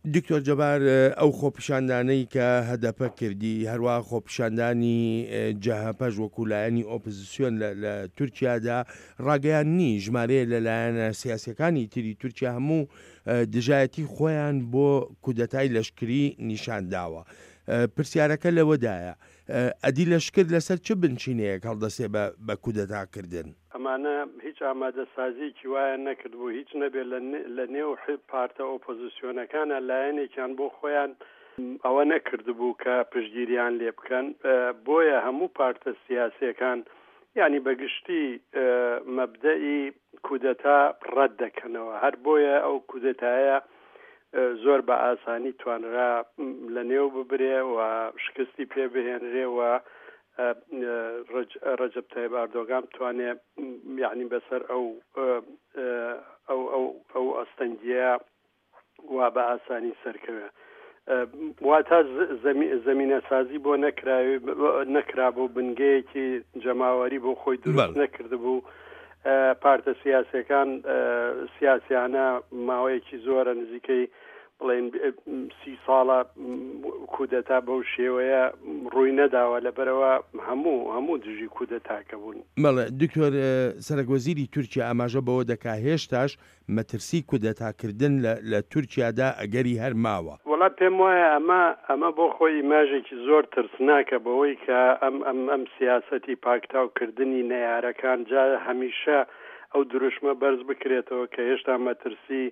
دکتۆر جەبار ئەو خۆپیشاندانەی کە هەدەپە کردی هەروەها خۆپیشاندانی جەهەپەش وەکو لایەنی ئۆپزسیۆن لە تورکیادا ڕاگەیاندنی ژمارەیە لە لایەنە سیاسیەکانی تری تورکیا هەموو دژایەتی خۆیان بۆ کودەتای لەشکری نیشان داوە. پرسیارەکە لەوەدایە ئەدی لەشکر لەسەر چ بنچینەیەک هەڵدەسێ بە کودەتا کردن؟ ئەمانە هیچ ئامادەسازیەکی وایان نەکردبوو، هیچ نەبێ لە نێو پارتە ئۆپۆزسیۆنەکانا لایەنێکیان بۆ خۆیان ئەوە نەکردبوو کە پشتگیریان لێ بکەن، بۆیە هەموو پارتە سیاسیەکان یانی بە گشتی مەبدەئی کودەتا ڕەت دەکەنەوە، هەر بۆیە ئەو کودەتایە زۆر بە ئاسانی توانرا لە نێو ببرێ و شکستی پێ بهێنرێ و ڕەجەب تایب ئاردۆگان بتوانێ یعنی بەسەر ئەو ئەو ئەو ئەو ئەستەنگیە وا بە ئاسانی سەرکەوێ واتا زەمینەسازی بۆ نەکراوی نەکرابوو بنگەیەکی جەماوەری بۆ خۆی دروست نەکردبوو پارتە سیاسەکان سیاسیانە ماوەیەکی زۆرە نزیکەی بڵێن سی ساڵە کودەتا بەو شێوەیە ڕووی نەداوە لەبەرەوە هەموو هەموو دژی کودەتاکە بوون. بەڵێ دکتۆر سەرەک وەزیری تورکیا ئاماژە بەوە دەکا هێشتاش مەترسی کودەتا کردن لە لە تورکیادا ئەگەری هەر ماوە. وەڵا پێم وایە ئەمە ئەمە بۆ خۆی ئیماژێکی زۆر ترسناکە بەوەی کە ئەم ئەم ئەم سیاسەتی پاکتاو کردنی نەیارەکان جا هەمیشە ئەو دروشمە بەرز بکرێتەوە کە هێشتا مەترسی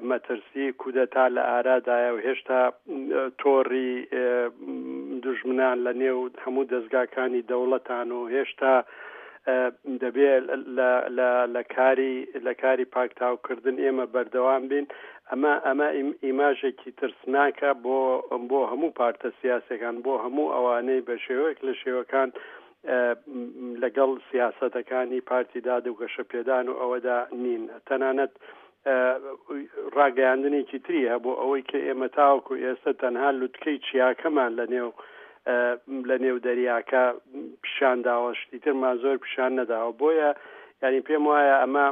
مەترسی کودەتا لە ئارادایە و هێشتا تۆڕی دوژمنان لە نێو هەموو دەزگاکانی دەوڵەتان و هێشتا دەبێ لە کاری لە کاری پاکتاوکردن ئێمە بەردەوام بین ئەمە ئەمە ئیماژێکی ترسناکە بۆ بۆ هەموو پارتە سیاسەکان بۆ هەموو ئەوانەی بە شێوەیەک لە شێوەکان لەگەڵ سیاسەتەکانی پارتی داد و گەشەپێدان و ئەوەدا نین تەنانەت ڕاگەیاندنێکی تری هەبوو ئەوەی کە ئێمە تاوەکو ئێستا تەنها لوتکەی چیاکەمان لە نێو لە نێو دەریاکە پیشان داوە شتی ترمان زۆر پیشان نەداوە بۆیە یعنی پێم وایە ئەمە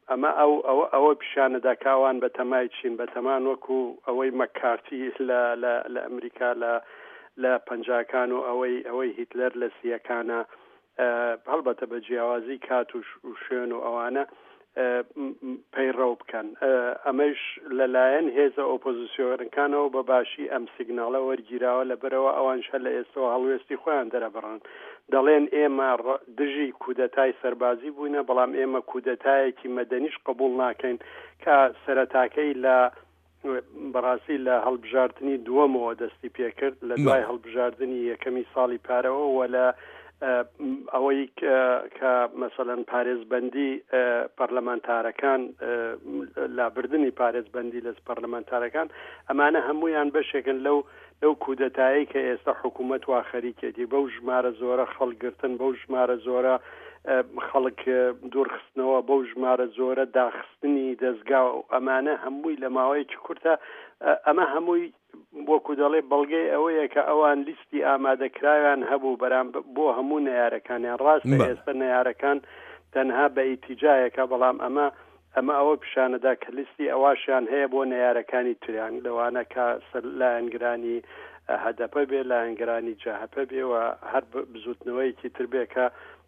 ئەمە ئەو ئەوە ئەوە پیشانەدا کە ئەوان بە تەمای چین بە تەمان وەکو ئەوەی مەکارتی لە لە لە ئەمریکا لە لە پەنجاکان و ئەوەی ئەوەی هیتلەر لە سیەکانە هەڵبەتە بە جیاوازی کات و شوێن و ئەوانە پەیڕەو بکەن ئەمەش لەلایەن هێزە ئۆپۆزیسیۆنەکانەوە بە باشی ئەم سیگناڵە وەرگیراوە لەبەرەوە ئەوانش هەر لە ئێستەوە هەڵوێستی خۆیان دەرەبڕن دەڵێن ئێمە دژی کودەتای سەربازی بووینە بەڵام ئێمە کودەتایەکی مەدەنیش قبوڵ ناکەین کە سەرەتاکەی لە بەڕاستی لە هەڵبژاردنی دووەمەوە دەستی پێکرد لە دوای هەڵبژاردنی یەکەمی ساڵی پارەوە و لە ئەوەی کە مەسەلەن پارێزبەندی پەرلەمانتارەکان لابردنی پارێزبەندی لە پەرلەمانتارەکان ئەمانە هەمویان بەشێکن لەو لەو کودەتایەی کە ئێستا حکوومەت وا خەریکێتی بەو ژمارە زۆرە خەڵک گرتن بەو ژمارە زۆرە خەڵک دوورخستنەوە بەو ژمارە زۆرە داخستنی دەستگا و ئەمانە هەمووی لە ماوەیەکی کورتە ئەمە هەمووی وەکو دەڵێ بەڵگەی ئەوەیە کە ئەوان لیستی ئامادەکراویان هەبوو بەرام بۆ هەموو نەیارەکانیان ڕاستە ئێستا نەیارەکان تەنها بە ئیتیجایەکە بەڵام ئەمە ئەمە ئەوە پیشانەدا کە لیستی ئەواشیان هەیە بۆ نەیارەکانی تریان لەوانە کە سەر لایەنگرانی هەدەپە بێ لایەنگرانی جەهەپە بێ و هەر بزوتنەوەیەکی تر بێ کە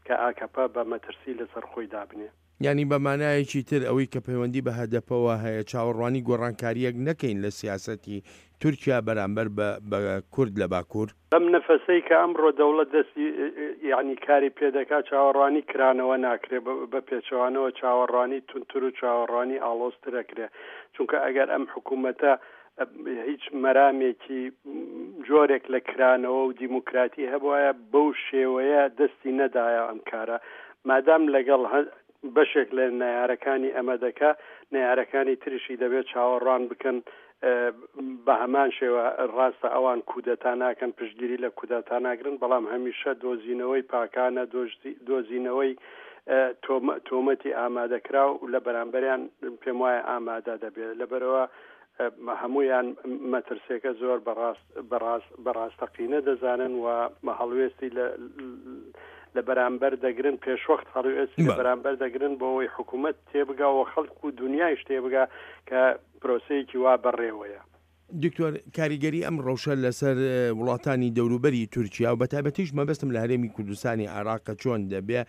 کە ئاکەپە بە مەترسی لەسەر خۆی دابنێ. یانی بە مانایەکی تر ئەوەی کە پەیوەندی بە هەدەپەوە هەیە چاوەڕوانی گۆڕانکارییەک نەکەین لە سیاسەتی تورکیا بەرامبەر بە بە کورد لە باکوور؟ بەم نەفەسەی کە ئەمڕۆ دەوڵەت دەستی یانی کاری پێدەکا چاوەڕوانی کرانەوە ناکرێ بە پێچەوانەوە چاوەڕوانی توندتر و چاوەڕوانی ئاڵۆزتر ئەکرێ چونکە ئەگەر ئەم حکوومەتە هیچ مەرامێکی جۆرێک لە کرانەوە و دیموکراتی هەبوایە بەو شێوەیە دەستی نەدایە ئەم کارە مادام لەگەڵ بەشێک لە نەیارەکانی ئەمە دەکا نەیارەکانی ترشی دەبێت چاوەڕوان بکەن بە هەمان شێوە ڕاستە ئەوان کودەتا ناکەن پشتگیری لە کودەتا ناگرن بەڵام هەمیشە دۆزینەوەی پاکانە دۆزینەوەی تۆمەتی ئامادەکراو لە بەرامبەریان پێم وایە ئامادە دەبێت لەبەرەوە هەموویان مەترسیەکە زۆر بەڕاست بەڕاست بەڕاستەقینە دەزانن و هەڵوێستی لە لە بەرامبەر دەگرن پێشوەخت هەڵوێستی لە بەرامبەر دەگرن بۆ ئەوەی حکوومەت تێبگا و خەڵک و دنیایش تێبگا کە پرۆسەیەکی وا بەڕێوەیە. دکتۆر کاریگەری ئەم ڕەوشە لەسەر وڵاتانی دەوروبەری تورکیا و بەتایبەتیش مەبەستم لە هەرێمی کوردستانی عێراقە چۆن دەبێ؟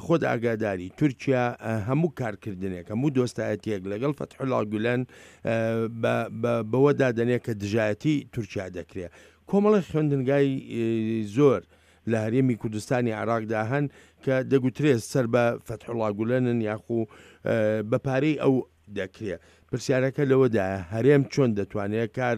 خۆت ئاگاداری تورکیا هەموو کارکردنێک هەموو دۆستایەتیەک لەگەڵ فەتحوڵا گولەن بەوە دادەنێ کە دژایەتی تورکیا دەکرێ. کۆمەڵێک خوێندنگای زۆر لە هەرێمی کوردستانی عێراقدا هەن کە دەگوترێ سەر بە فەتحوڵا گولەنن یاخو بە پارەی ئەو دەکرێ. پرسیارەکە لەوەدایە هەرێم چۆن دەتوانێ کار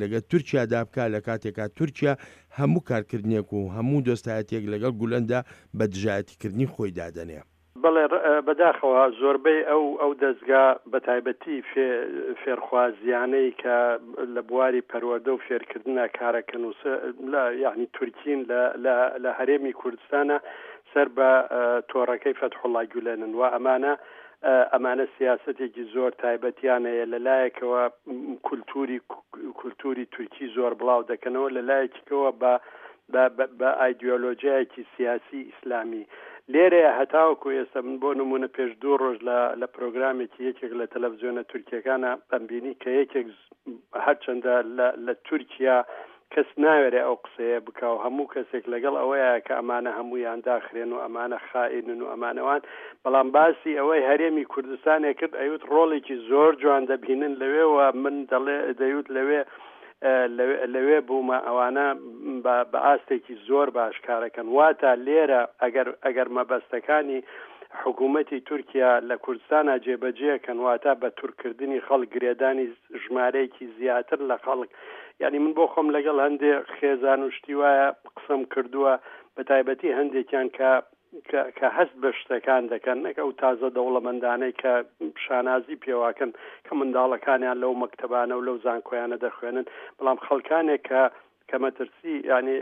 لەگەل تورکیادا بکا لە کاتێکا تورکیا هەموو کارکردنێک و هەموو دۆستایەتیەک لەگەڵ گولەندا بە دژایەتیکردنی خۆی دادەنێ. بەڵێ بەداخەوە زۆربەی ئەو ئەو دەزگا بەتایبەتی فێ فێرخوازیانەی کە لە بواری پەروەردە و فێرکردنا کارەکەن و لە یانی تورکین لە لە لە هەرێمی کوردستانە سەر بە تۆڕەکەی فەتحوڵا گولەنن و ئەمانە ئەمانە سیاسەتێکی زۆر تایبەتیان هەیە لە لایەکەوە کولتوری کولتوری تورکی زۆر بڵاو دەکەنەوە لە لایەکیکەوە بە بە ئایدیۆلۆژیایەکی سیاسی ئیسلامی لێرەیە هەتاوەکو ئێستا من بۆ نمونە پێش دوو ڕۆژ لە لە پرۆگرامێکی یەکێک لە تەلەڤزیۆنە تورکیەکانە ئەمبینی کە یەکێک هەرچەندە لە تورکیا کەس ناوێرێ ئەو قسەیە بکا و هەموو کەسێک لەگەڵ ئەوەیە کە ئەمانە هەموویان داخرێن و ئەمانە خائینن و ئەمانەوان، بەڵام باسی ئەوەی هەرێمی کوردستانێ کرد ئەیوت ڕۆڵێکی زۆر جوان دەبینن لەوێ و من دەڵێ دەیوت لەوێ لەوێ بوومە ئەوانە بە ئاستێکی زۆر باش کارەکەن واتە لێرە ئەگەر ئەگەر مەبەستەکانی حکوومەتی تورکیا لە کوردستانە جێبەجێکەن واتە بە تورکردنی خەڵک گرێدانی ژمارەیەکی زیاتر لە خەڵک یعنی من بۆ خۆم لەگەڵ هەندێ خێزان و شتی وایە قسەم کردووە بە تایبەتی هەندێکیان کە کە هەست بە شتەکان دەکەن نەک ئەو تازە دەوڵەمەندانەی کە شانازی پێواکەن کە منداڵەکانیان لەو مەکتەبانە و لەو زانکۆیانە دەخوێنن بەڵام خەڵکانێک کە کە مەترسی یعنی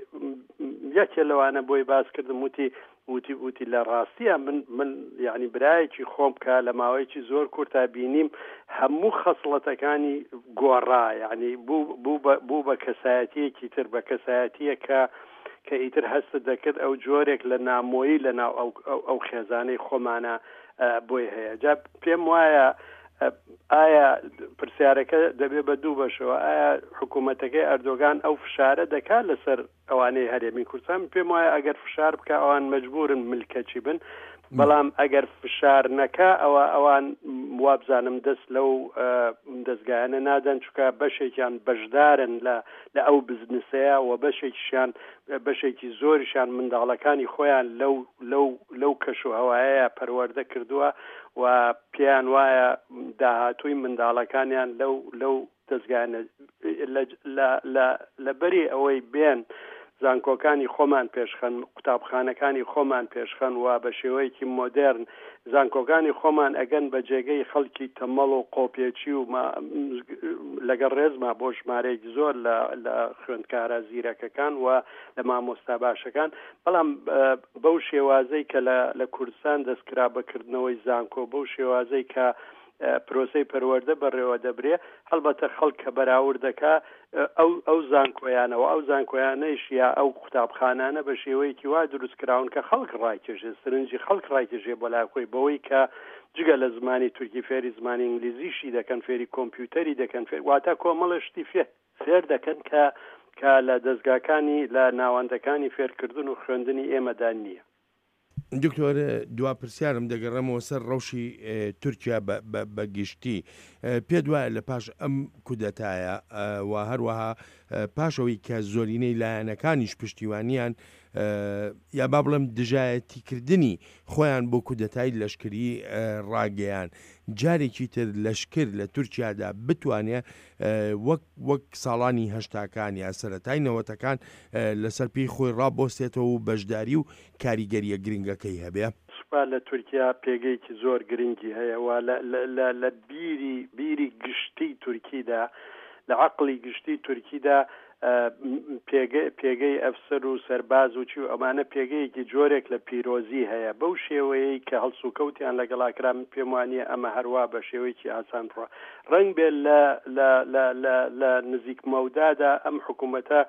یەکێ لەوانە بۆی باس کردم وتی وتی وتی لە ڕاستیە من من یعنی برایەکی خۆم کە لە ماوەیەکی زۆر کورتا بینیم هەموو خەسڵەتەکانی گۆڕا یعنی بوو بوو بە کەسایەتیەکی تر بە کەسایەتیە کە کە ئیتر هەستت دەکرد ئەو جۆرێک لە نامۆیی لە ناو ئەو ئەو خێزانەی خۆمانە بۆی هەیە جا پێم وایە ئایا پرسیارەکە دەبێ بە دوو بەشەوە ئایا حکوومەتەکەی ئەردۆگان ئەو فشارە دەکات لەسەر ئەوانەی هەرێمی کوردستان پێم وایە ئەگەر فشار بکە ئەوان مەجبورن ملکەچی بن بەڵام ئەگەر فشار نەکا ئەوە ئەوان وابزانم دەست لەو دەستگایانە نادەن چکە بەشێکیان بەشدارن لە لە ئەو بزنسەیە و بەشێکیشیان بەشێکی زۆریشیان منداڵەکانی خۆیان لەو لەو لەو کەش و هەوایەیە پەروەردە کردووە و پێیان وایە داهاتووی منداڵەکانیان لەو لەو دەزگایانە لە لە لە لەبری ئەوەی بێن زانکۆکانی خۆمان پێشخەن، قوتابخانەکانی خۆمان پێشخەن و بە شێوەیەکی مۆدێرن زانکۆکانی خۆمان ئەگەن بە جێگەی خەڵکی تەمەڵ و قۆپێچی و لەگەڵ ڕێزما بۆ ژمارەیەکی زۆر لە لە خوێندکارە زیرەکەکان و لە مامۆستا باشەکان بەڵام بەو شێوازەی کە لە لە کوردستان دەستکرا بە کردنەوەی زانکۆ بەو شێوازەی کە پرۆسەی پەروەردە بەڕێوە دەبرێ، هەڵبەتە خەڵک کە بەراورد دەکا ئەو ئەو زانکۆیانە و ئەو زانکۆیانەیش یا ئەو قوتابخانانە بە شێوەیەکی وا دروست کراون کە خەڵک ڕایکێشێ، سرنجی خەڵک ڕایکێشێ بۆ لای خۆی بەوەی کە جگە لە زمانی تورکی فێری زمانی ئینگلیزیشی دەکەن، فێری کۆمپیوتەری دەکەن، فێر واتە کۆمەڵێ شتی فێ فێر دەکەن کە کە لە دەزگاکانی لە ناوەندەکانی فێرکردن و خوێندنی ئێمەدا نییە. دکتۆر دوا پرسیارم دەگەڕێمەوە سەر ڕەوشی تورکیا بە گشتی پێت وایە لە پاش ئەم کودەتایە و هەروەها پاشەوەی کە زۆرینەی لایەنەکانیش پشتیوانیان یا با بڵێم دژایەتیکردنی خۆیان بۆ کودەتای لەشکری ڕاگەیان جارێکی تر لەشکر لە تورکیادا بتوانێ وەک وەک ساڵانی هەشتاکان یا سەرەتای نەوەتەکان لەسەر پێی خۆی ڕابۆستێتەوە و بەشداری و کاریگەرییە گرنگەکەی هەبێ؟ سوپا لە تورکیا پێگەیەکی زۆر گرنگی هەیە و لە لە لە بیری بیری گشتی تورکیدا لە عەقڵی گشتی تورکیدا پێگە پێگەی ئەفسەر و سەرباز و چی و ئەمانە پێگەیەکی جۆرێک لە پیرۆزی هەیە بەو شێوەیەی کە هەڵسوکەوتیان لەگەڵا کرا من پێم وانییە ئەمە هەروا بە شێوەیەکی ئاسان بڕوا ڕەنگ بێ لە لە لە لە لە نزیک مەودادا ئەم حکوومەتە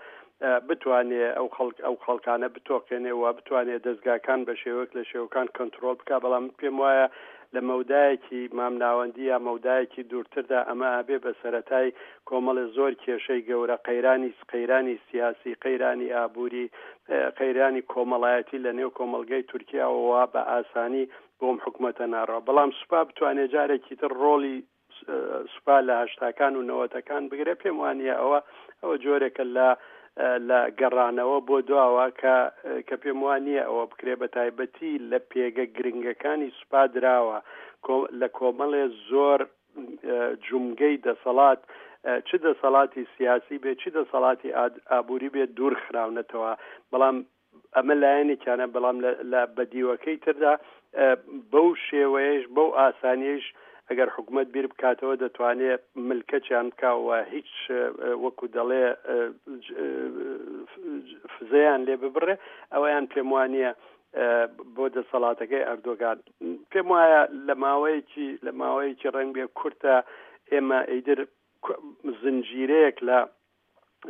بتوانێ ئەو خەڵک ئەو خەڵکانە بتۆقێنێ و بتوانێ دەزگاکان بە شێوەیەک لە شێوەکان کۆنترۆڵ بکا بەڵام من پێم وایە لە مەودایەکی مامناوەندی یا مەودایەکی دوورتردا ئەمە ئەبێ بە سەرەتای کۆمەڵێ زۆر کێشەی گەورە، قەیرانی قەیرانی سیاسی، قەیرانی ئابووری، قەیرانی کۆمەڵایەتی لە نێو کۆمەڵگەی تورکیاوە وا بە ئاسانی بۆم حکومەتە ناڕوا. بەڵام سوپا بتوانێ جارێکی تر ڕۆڵی سوپا لە هەشتاکان و نەوەتەکان بگرێ پێم وانە ئەوە ئەوە جۆرێکە لە لە گەڕانەوە بۆ دواوە کە کە پێم وا نییە ئەوە بکرێ بە تایبەتی لە پێگە گرنگەکانی سوپا دراوە لە کۆمەڵێ زۆر جومگەی دەسەڵات چ دەسەڵاتی سیاسی بێ چ دەسەڵاتی ئابووری بێت دوور خراونەتەوە بەڵام ئەمە لایەنێکیانە بەڵام لە بەدیوەکەی تردا بەو شێوەیەش بەو ئاسانیش ئەگەر حکوومەت بیر بکاتەوە دەتوانێت ملکەچیان بکەوە هیچ وەکو دەڵێ فزەیان لێ ببڕێ ئەوەیان پێم وانە بۆ دەسەڵاتەکەی ئەردۆگان پێم وایە لە ماوەیەکی لە ماوەیەکی ڕەنگ بێ کورتە ئێمە ئیدر زنجیرەیەک لە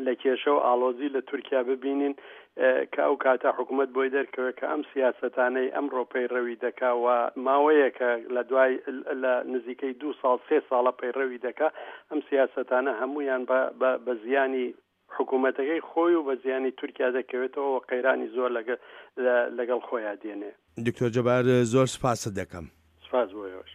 لە کێشە و ئاڵۆزی لە تورکیا ببینین کە ئەو کاتە حکوومەت بۆی دەرکەوێت کە ئەم سیاسەتانەی ئەمڕۆ پەیڕەوی دەکا و ماوەیەکە لە دوای لە نزیکەی دو ساڵ سێ ساڵە پەیڕەوی دەکا ئەم سیاسەتانە هەمویان بە زیانی حکوومەتەکەی خۆی و بە زیانی تورکیا دەکەوێتەوە و قەیرانی زۆر لەگەڵ خۆیان دێنێ. دکتۆر جەبار زۆر سپاست دەکەم. سپاس بۆ ئێوەش.